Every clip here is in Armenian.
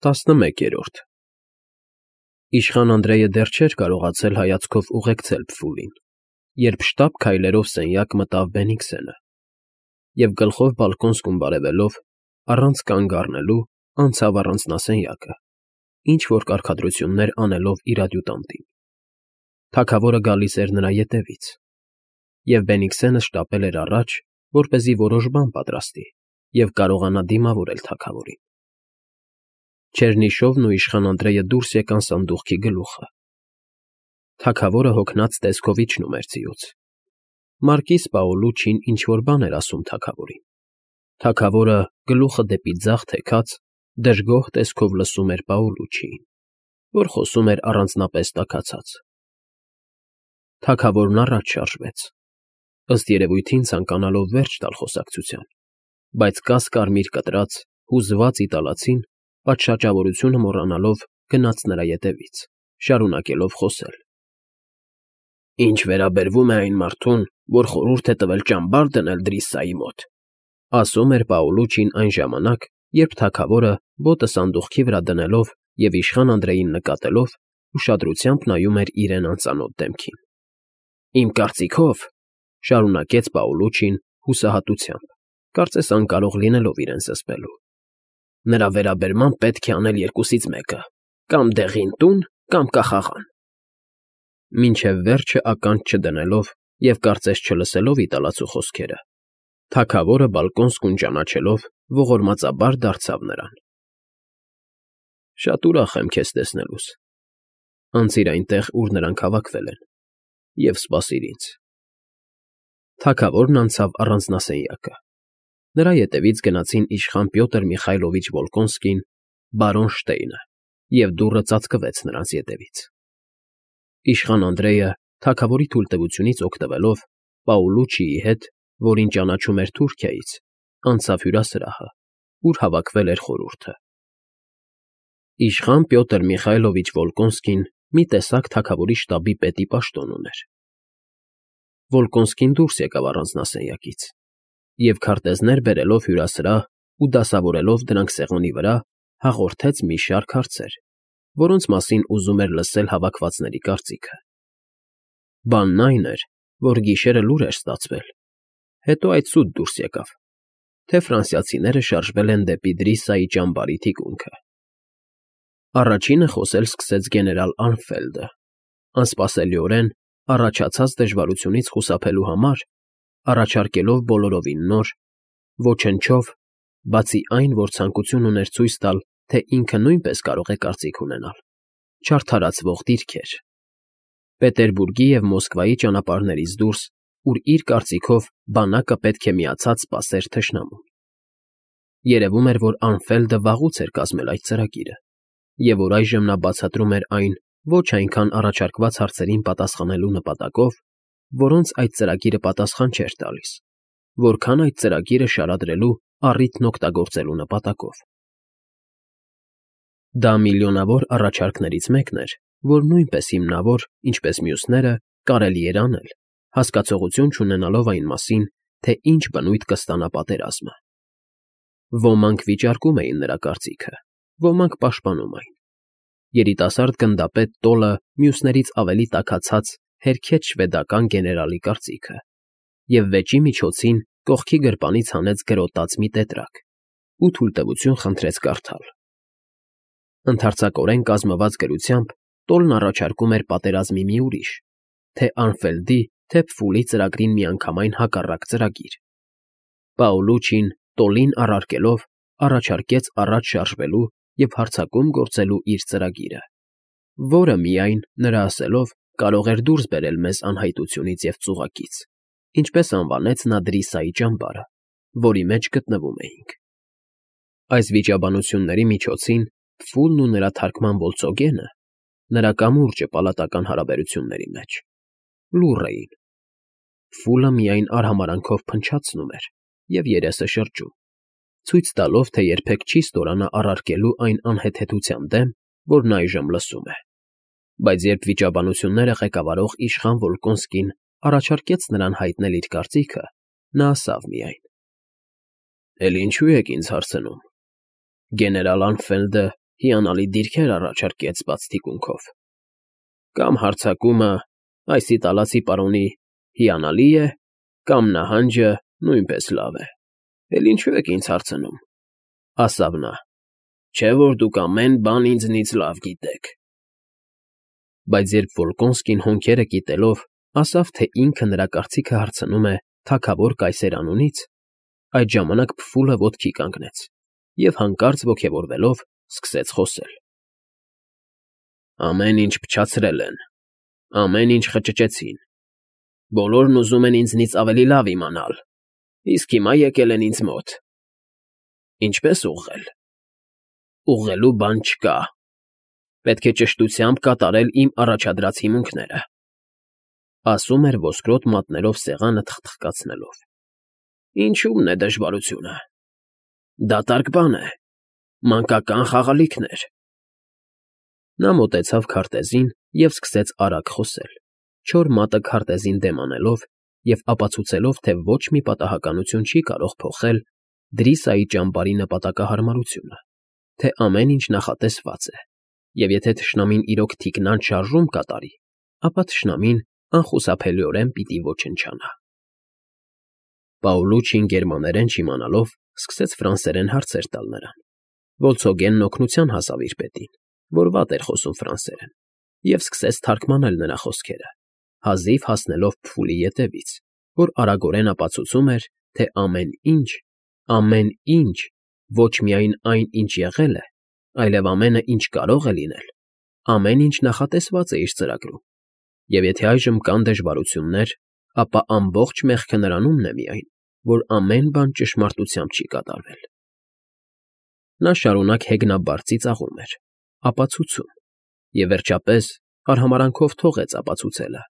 11-րդ Իշխան Անդրեյը դեռ չէր կարողացել հայացքով ուղեկցել Փֆուլին, երբ շտապ քայլերով սենյակ մտավ Բենիքսենը և գլխով բալկոնսկում բարևելով, առանց կանգ առնելու, անցավ առանձնասենյակը, ինչ֊որ կարգադրություններ անելով իր ադյուտանտին. թագավորը գալիս էր նրա ետևից, և Բենիքսենը շտապել էր առաջ, որպեսզի որոշ բան պատրաստի և կարողանա դիմավորել թագավորին։ Չերնիշովն ու իշխան Անդրեյը դուրս եկան սանդուղքի գլուխը։ Թագավորը հոգնած տեսքով իջնում էր ձիուց։ Մարկիս Պաուլուչին ինչ֊որ բան էր ասում թագավորին։ Թագավորը, գլուխը դեպի ձախ թեքած, դժգոհ տեսքով լսում էր Պաուլուչիին, որ խոսում էր առանձնապես տաքացած։ Թագավորն առաջ շարժվեց, ըստ երևույթին ցանկանալով վերջ տալ խոսակցության, բայց կաս֊կարմիր կտրած, հուզված իտալացին, պատշաճավորությունը մոռանալով, գնաց նրա ետևից, շարունակելով խոսել. Ինչ վերաբերվում է այն մարդուն, որ խորհուրդ է տվել ճամբար դնել Դրիսայի մոտ, ասում էր Պաուլուչին այն ժամանակ, երբ թագավորը, ոտը սանդուղքի վրա դնելով և իշխան Անդրեյին նկատելով, ուշադրությամբ նայում էր իրեն անծանոթ դեմքին։ Իմ կարծիքով, շարունակեց Պաուլուչին հուսահատությամբ, կարծես անկարող լինելով իրեն զսպելու, նրա վերաբերմամբ պետք է անել երկուսից մեկը. կամ դեղին տուն, կամ կախաղան։ Մինչև վերջը ականջ չդնելով և կարծես չլսելով իտալացու խոսքերը, թագավորը բալկոնսկուն ճանաչելով ողորմածաբար դարձավ նրան. Շատ ուրախ եմ քեզ տեսնելուս, անցիր այնտեղ, ուր նրանք հավաքվել են, և սպասիր ինձ։ Թագավորն անցավ առանձնասենյակը։ Նրա ետևից գնացին իշխան Պյոտր Միխայլովիչ Վոլկոնսկին, բարոն Շտեյնը, և դուռը ծածկվեց նրանց ետևից։ Իշխան Անդրեյը, թագավորի թույլտվությունից օգտվելով, Պաուլուչիի հետ, որին ճանաչում էր Թուրքիայից, անցավ հյուրասրահը, ուր հավաքվել էր խորհուրդը։ Իշխան Պյոտր Միխայլովիչ Վոլկոնսկին մի տեսակ թագավորի շտաբի պետի պաշտոն ուներ։ Վոլկոնսկին դուրս եկավ առանձնասենյակից և քարտեզներ բերելով հյուրասրահ ու դասավորելով դրանք սեղանի վրա, հաղորդեց մի շարք հարցեր, որոնց մասին ուզում էր լսել հավաքվածների կարծիքը։ Բանն այն էր, որ գիշերը լուր էր ստացվել, հետո այդ սուտ դուրս եկավ, թե ֆրանսիացիները շարժվել են դեպի Դրիսայի ճամբարի թիկունքը։ Առաջինը խոսել սկսեց գեներալ Արմֆելդը, անսպասելիորեն, առաջացած դժվարությունից խուսափելու համար, առաջարկելով բոլորովին նոր, ոչնչով, բացի այն, որ ցանկություն ուներ ցույց տալ, թե ինքը նույնպես կարող է կարծիք ունենալ, չարդարացվող դիրքեր, Պետերբուրգի և Մոսկվայի ճանապարհներից դուրս, ուր իր կարծիքով բանակը պետք է միացած սպասեր թշնամուն։ Երևում էր, որ Արմֆելդը վաղուց էր կազմել այդ ծրագիրը, և որ այժմ նա բացատրում էր այն ոչ այնքան առաջարկված հարցերին պատասխանելու նպատակով, որոնց այդ ծրագիրը պատասխան չէր տալիս, որքան այդ ծրագիրը շարադրելու առիթն օգտագործելու նպատակով։ Դա միլիոնավոր առաջարկներից մեկն էր, որ նույնպես հիմնավոր, ինչպես մյուսները, կարելի էր անել, հասկացողություն չունենալով այն մասին, թե ինչ բնույթ կստանա պատերազմը։ Ոմանք վիճարկում էին նրա կարծիքը, ոմանք պաշտպանում այն։ Երիտասարդ գնդապետ Տոլը մյուսներից ավելի տաքացած հերքեց շվեդական գեներալի կարծիքը և վեճի միջոցին կողքի գրպանից հանեց գրոտած մի տետրակ ու թույլտվություն խնդրեց կարդալ։ Ընդարձակորեն կազմված գրությամբ Տոլն առաջարկում էր պատերազմի մի ուրիշ, թե Արմֆելդի, թե Փֆուլի ծրագրին միանգամայն հակառակ ծրագիր։ Պաուլուչին, Տոլին առարկելով, առաջարկեց առաջ շարժվելու և հարձակում գործելու իր ծրագիրը, որը միայն, նրա ասելով, կարող էր դուրս բերել մեզ անհայտությունից և ծուղակից, ինչպես անվանեց նա Դրիսայի ճամբարը, որի մեջ գտնվում էինք։ Այս վիճաբանությունների միջոցին Փֆուլն ու նրա թարգման ոլցոգենը, նրա կամուրջը պալատական հարաբերությունների մեջ, լուռ էին։ Փֆուլը միայն արհամարանքով փնչացնում էր և երեսը շրջում, ցույց տալով, թե երբեք չի ստորանա առարկելու այն անհեթեթության դեմ, որ նա այժմ լսում է։ Բայց երբ վիճաբանությունները ղեկավարող իշխան Վոլկոնսկին առաջարկեց նրան հայտնել իր կարծիքը, նա ասավ միայն. Էլ ինչու եք ինձ հարցնում։ Գեներալ Արմֆելդը հիանալի դիրքեր առաջարկեց բաց թիկունքով, կամ հարձակումը այս իտալացի պարոնի հիանալի է, կամ նահանջը նույնպես լավ է, էլ ինչու եք ինձ հարցնում, ասավ նա, չէ՞ որ դուք ամեն բան ինձնից լավ գիտեք։ Բայց երբ Վոլկոնսկին հոնքերը կիտելով ասավ, թե ինքը նրա կարծիքը հարցնում է թագավոր կայսեր անունից, այդ ժամանակ փֆուլը ոտքի կանգնեց և հանկարծ ոգևորվելով սկսեց խոսել. Ամեն ինչ փչացրել են, ամեն ինչ խճճեցին, բոլորն ուզում են ինձնից ավելի լավ իմանալ, իսկ հիմա եկել են ինձ մոտ։ Ինչպե՞ս ուղղել։ Ուղղելու բան չկա, պետք է ճշտությամբ կատարել իմ առաջադրած հիմունքները, ասում էր ոսկրոտ մատներով սեղանը թխթխկացնելով։ Ինչու՞մն է դժվարությունը։ Դատարկ բան է, մանկական խաղալիքներ։ Նա մոտեցավ քարտեզին և սկսեց արագ խոսել, չոր մատը քարտեզին դեմ անելով և ապացուցելով, թե ոչ մի պատահականություն չի կարող փոխել Դրիսայի ճամբարի նպատակահարմարությունը, թե ամեն ինչ նախատեսված է, և եթե թշնամին իրոք թիկնանց շարժում կատարի, ապա թշնամին անխուսափելիորեն պիտի ոչնչանա։ Պաուլուչին գերմաներեն չիմանալով սկսեց ֆրանսերեն հարցեր տալ նրան։ Վոլցոգենն օգնության հասավ իր պետին, որ վատ էր խոսում ֆրանսերեն, և սկսեց թարգմանել նրա խոսքերը, հազիվ հասնելով փֆուլի ետևից, որ արագորեն ապացուցում էր, թե ամեն ինչ, ոչ միայն այն, ինչ եղել է, այլև ամենը, ինչ կարող է լինել, ամեն ինչ նախատեսված է իր ծրագրում, և եթե այժմ կան դժվարություններ, ապա ամբողջ մեղքը նրանումն է միայն, որ ամեն բան ճշմարտությամբ չի կատարվել։ Նա շարունակ հեգնաբար ծիծաղում էր, ապացուցում, և վերջապես արհամարանքով թողեց ապացուցելը,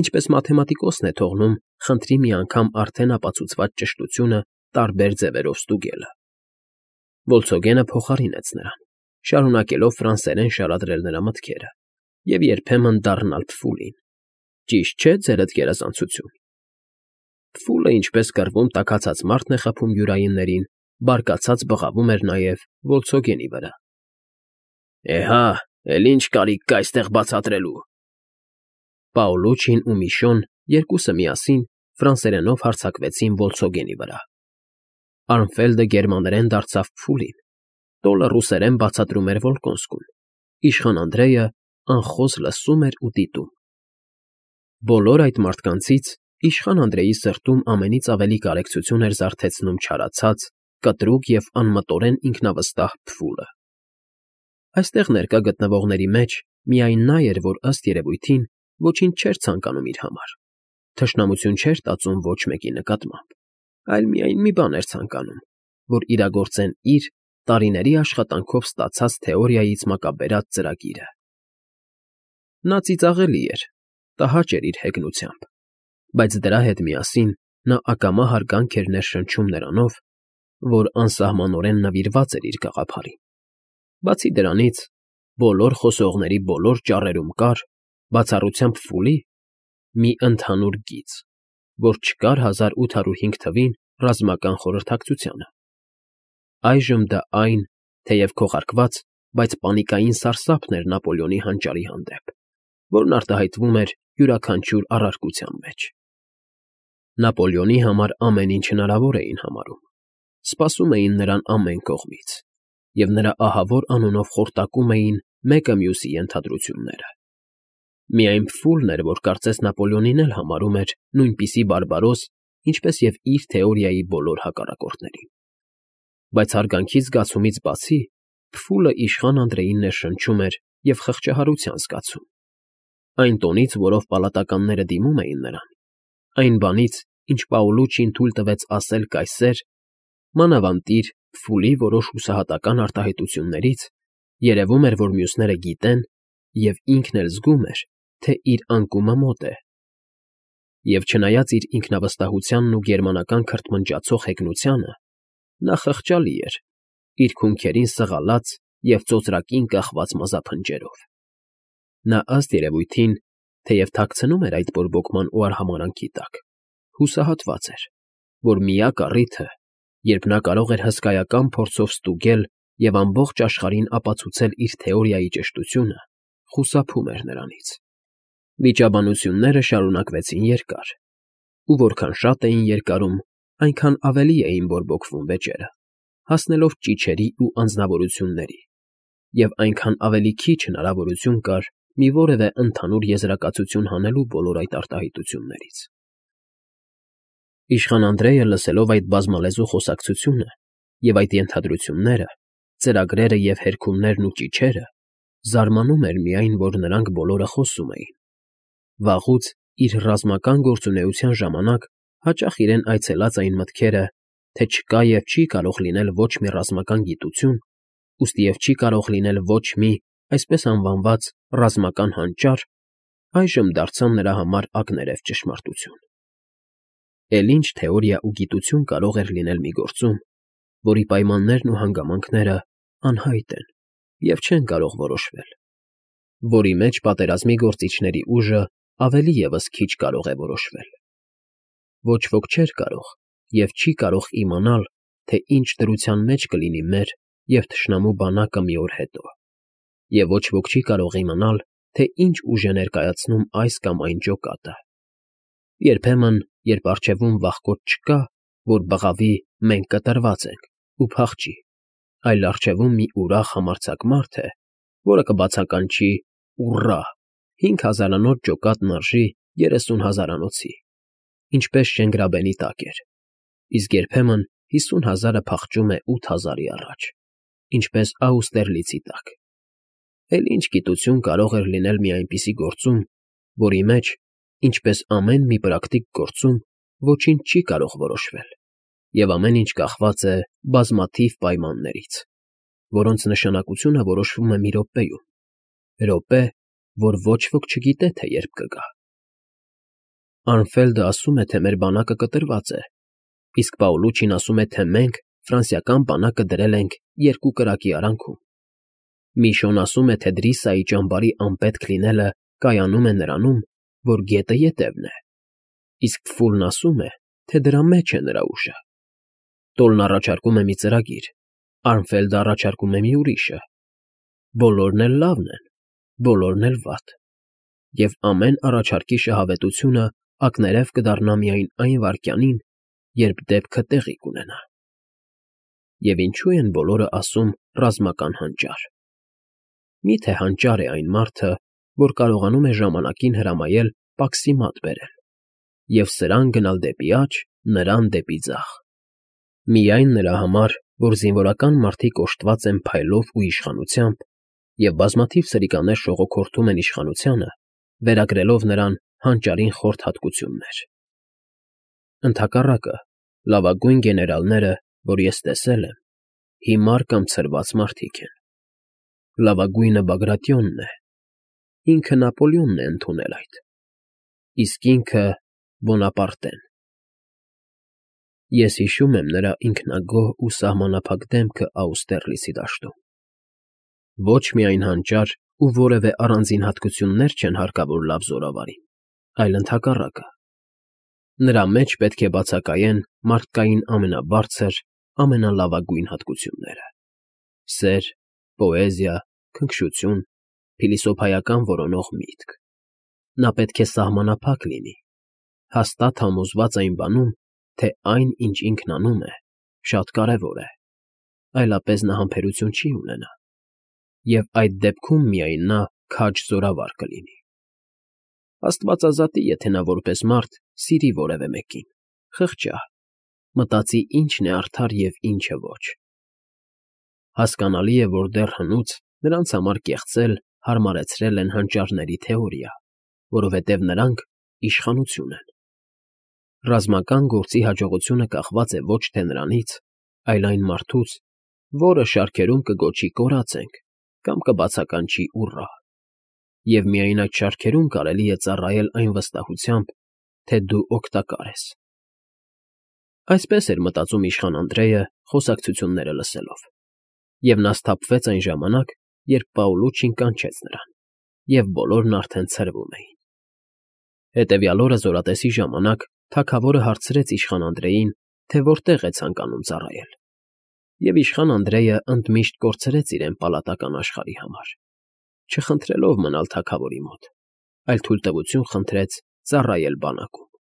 ինչպես մաթեմատիկոսն է թողնում խնդրի մի անգամ արդեն ապացուցված ճշտությունը տարբեր ձևերով ստուգելը։ Վոլցոգենը փոխարինեց նրան, շարունակելով ֆրանսերեն շարադրել նրա մտքերը և երբեմն դառնալ փֆուլին։ Ճիշտ չէ՞ ձերդ գերազանցություն։ Փֆուլը, ինչպես կռվում տաքացած մարդն է խփում յուրայիններին, բարկացած բղավում էր նաև Վոլցոգենի վրա։ Էհա, էլ ինչ կարիք կա այստեղ բացատրելու։ Պաուլուչին ու Միշոն երկուսը միասին ֆրանսերենով հարձակվեցին Վոլցոգենի վրա։ Արմֆելդը գերմաներեն դարձավ փֆուլին, տոլը ռուսերեն բացատրում էր Վոլկոնսկուն, իշխան Անդրեյը անխոզ լսում էր ու դիտում։ Բոլոր այդ մարդկանցից իշխան Անդրեյի սրտում ամենից ավելի կարեկցություն էր զարթեցնում չարացած, կտրուկ և անմտորեն ինքնավստահ փֆուլը։ Այստեղ ներկա գտնվողների մեջ միայն նա էր, որ ըստ երևույթին ոչինչ չէր ցանկանում իր համար, թշնամություն չէր տածում ոչ մեկի նկատմամբ, այլ միայն մի բան էր ցանկանում, որ իրագործեն իր տարիների աշխատանքով ստացած թեորիայից մակաբերած ծրագիրը։ Նա ծիծաղելի էր, տհաճ էր իր հեգնությամբ, բայց դրա հետ միասին նա ակամա հարգանք էր ներշնչում նրանով, որ անսահմանորեն նվիրված էր իր գաղափարին։ Բացի դրանից, բոլոր խոսողների բոլոր ճառերում կար, բացառությամբ փֆուլի, մի ընդհանուր գիծ, որ չկար 1805 թվին ռազմական խորհրդակցությանը։ Այժմ դա այն, թեև քողարկված, բայց պանիկային սարսափն էր Նապոլեոնի հանճարի հանդեպ, որն արտահայտվում էր յուրաքանչյուր առարկության մեջ։ Նապոլեոնի համար ամեն ինչ հնարավոր էին համարում, սպասում էին նրան ամեն կողմից, և նրա ահավոր անունով խորտակում էին մեկը մյուսի ենթադրությունները։ Միայն փֆուլն էր, որ կարծես Նապոլեոնին էլ համարում էր նույնպիսի բարբարոս, ինչպես և իր թեորիայի բոլոր հակառակորդներին։ Բայց հարգանքի զգացումից բացի, փֆուլը իշխան Անդրեյին ներշնչում էր և խղճահարության զգացում։ Այն տոնից, որով պալատականները դիմում էին նրան, այն բանից, ինչ Պաուլուչին թույլ տվեց ասել կայսեր, մանավանդիր փֆուլի որոշ հուսահատական արտահայտություններից, երևում էր, որ մյուսները գիտեն և ինքն էլ զգում էր, թե իր անկումը մոտ է։ Եվ չնայած իր ինքնավստահությանն ու գերմանական քրթմնջացող հեգնությանը, նա խղճալի էր, իր քունքերին սղալած և ծոծրակին կախված մազափնջերով։ Նա ըստ երևույթին, թեև թաքցնում էր այդ բորբոքման ու արհամարանքի տակ, հուսահատված էր, որ միակ առիթը, երբ նա կարող էր հսկայական փորձով ստուգել, և ամբողջ աշխարհին ապացուցել իր թեորիայի ճշտությունը խուսափում էր նրանից։ Վիճաբանությունները շարունակվեցին երկար, ու որքան շատ էին երկարում, այնքան ավելի էին բորբոքվում վեճերը, հասնելով ճիչերի ու անձնավորությունների, և այնքան ավելի քիչ հնարավորություն կար մի որևէ ընդհանուր եզրակացություն հանելու բոլոր այդ արտահայտություններից։ Իշխան Անդրեյը, լսելով այդ բազմալեզու խոսակցությունը և այդ ենթադրությունները, ծրագրերը և հերքումներն ու ճիչերը, զարմանում էր միայն, որ նրանք բոլորը խոսում էին։ Վաղուց իր ռազմական գործունեության ժամանակ հաճախ իրեն այցելած այն մտքերը, թե չկա և չի կարող լինել ոչ մի ռազմական գիտություն, ուստի և չի կարող լինել ոչ մի, այսպես անվանված, ռազմական հանճար, այժմ դարձան նրա համար ակներև ճշմարտություն։ Էլ ինչ թեորիա ու գիտություն կարող էր լինել մի գործում, որի պայմաններն ու հանգամանքները անհայտ են և չեն կարող որոշվել, որի մեջ պատերազմի գործիչների ուժը ավելի ևս քիչ կարող է որոշվել։ Ոչ ոք չէր կարող և չի կարող իմանալ, թե ինչ դրության մեջ կլինի մեր և թշնամու բանակը մի օր հետո, և ոչ ոք չի կարող իմանալ, թե ինչ ուժ է ներկայացնում այս կամ այն ջոկատը։ Երբեմն, երբ առջևում վախկոտ չկա, որ բղավի «մենք կտրված ենք» ու փախչի, այլ առջևում մի ուրախ համարձակ մարդ է, որը կբացականչի «ուռա», 5000-անոց ջոկատն արժի 30,000-անոցի, ինչպես Շենգրաբենի տակ էր, իսկ երբեմն 50,000-ը փախչում է 8,000-ի առաջ, ինչպես Աուստերլիցի տակ։ Էլ ինչ գիտություն կարող էր լինել մի այնպիսի գործում, որի մեջ, ինչպես ամեն մի պրակտիկ գործում, ոչինչ չի կարող որոշվել, և ամեն ինչ կախված է բազմաթիվ պայմաններից, որոնց նշանակությունը որոշվում է մի րոպեում, րոպե, որ ոչ ոք չգիտե, թե երբ կգա։ Արմֆելդը ասում է, թե մեր բանակը կտրված է, իսկ Պաուլուչին ասում է, թե մենք ֆրանսիական բանակը դրել ենք 2 կրակի արանքում։ Միշոն ասում է, թե Դրիսայի ճամբարի անպետք լինելը կայանում է նրանում, որ գետը ետևն է, իսկ Ֆուլն ասում է, թե դրա մեջ է նրա ուժը։ Տոլն առաջարկում է մի ծրագիր, Արմֆելդը առաջարկում է մի ուրիշը։ Բոլորն էլ լավն են, բոլորն էլ վատ, և ամեն առաջարկի շահավետությունը ակներև կդառնա միայն այն վայրկյանին, երբ դեպքը տեղի կունենա։ Եվ ինչո՞ւ են բոլորը ասում «ռազմական հանճար»։ Մի՞թե հանճար է այն մարդը, որ կարողանում է ժամանակին հրամայել պաքսի մատ բերել, և սրան գնալ դեպի աջ, նրան դեպի ձախ։ Միայն նրա համար, որ զինվորական մարդիկ օժտված են փայլով ու իշխանությամբ, և բազմաթիվ սրիկաներ շողոքորթում են իշխանությանը, վերագրելով նրան հանճարին խորթ հատկություններ։ Ընդհակառակը, լավագույն գեներալները, որ ես տեսել եմ, հիմար կամ ցրված մարդիկ են։ Լավագույնը Բագրատիոնն է, ինքը Նապոլեոնն է ընդունել այդ, իսկ ինքը Բոնապարտեն։ Ես հիշում եմ նրա ինքնագոհ ու սահմանափակ դեմքը Աուստերլիցի դաշտում։ Ոչ միայն հանճար ու որևէ առանձին հատկություններ չեն հարկավոր լավ զորավարին, այլ ընդհակառակը։ Նրա մեջ պետք է բացակայեն մարդկային ամենաբարձր, ամենալավագույն հատկությունները՝ սեր, պոեզիա, քնքշություն, փիլիսոփայական որոնող միտք։ Նա պետք է սահմանափակ լինի, հաստատ համոզված այն բանում, թե այն, ինչ ինքն անում է, շատ կարևոր է, այլապես նա համբերություն չի ունենա, և այդ դեպքում միայն նա քաջ զորավար կլինի։ Աստվածազատի, եթե նա որպես մարդ սիրի որևէ մեկին, խղճա, մտածի ինչն է արդար և ինչը ոչ։ Հասկանալի է, որ դեռ հնուց նրանց համար կեղծել հարմարեցրել են հանճարների թեորիա, որովհետև նրանք իշխանություն են։ Ռազմական գործի հաջողությունը կախված է ոչ թե նրանից, այլ այն մարդուց, որը շարքերում կգոչի «կորած ենք» կամ կբացականչի «ուռա», և միայն այդ շարքերում կարելի է ծառայել այն վստահությամբ, թե դու օգտակար ես։ Այսպես էր մտածում իշխան Անդրեյը խոսակցությունները լսելով, և նա սթափվեց այն ժամանակ, երբ Պաուլուչին կանչեց նրան, և բոլորն արդեն ցրվում էին։ Հետևյալ օրը զորատեսի ժամանակ թագավորը հարցրեց իշխան Անդրեյին, թե որտեղ է ցանկանում ծառայել։ Եվ իշխան Անդրեյը ընդմիշտ կորցրեց իրեն պալատական աշխարհի համար, չխնդրելով մնալ թագավորի մոտ, այլ թույլտվություն խնդրեց ծառայել բանակում։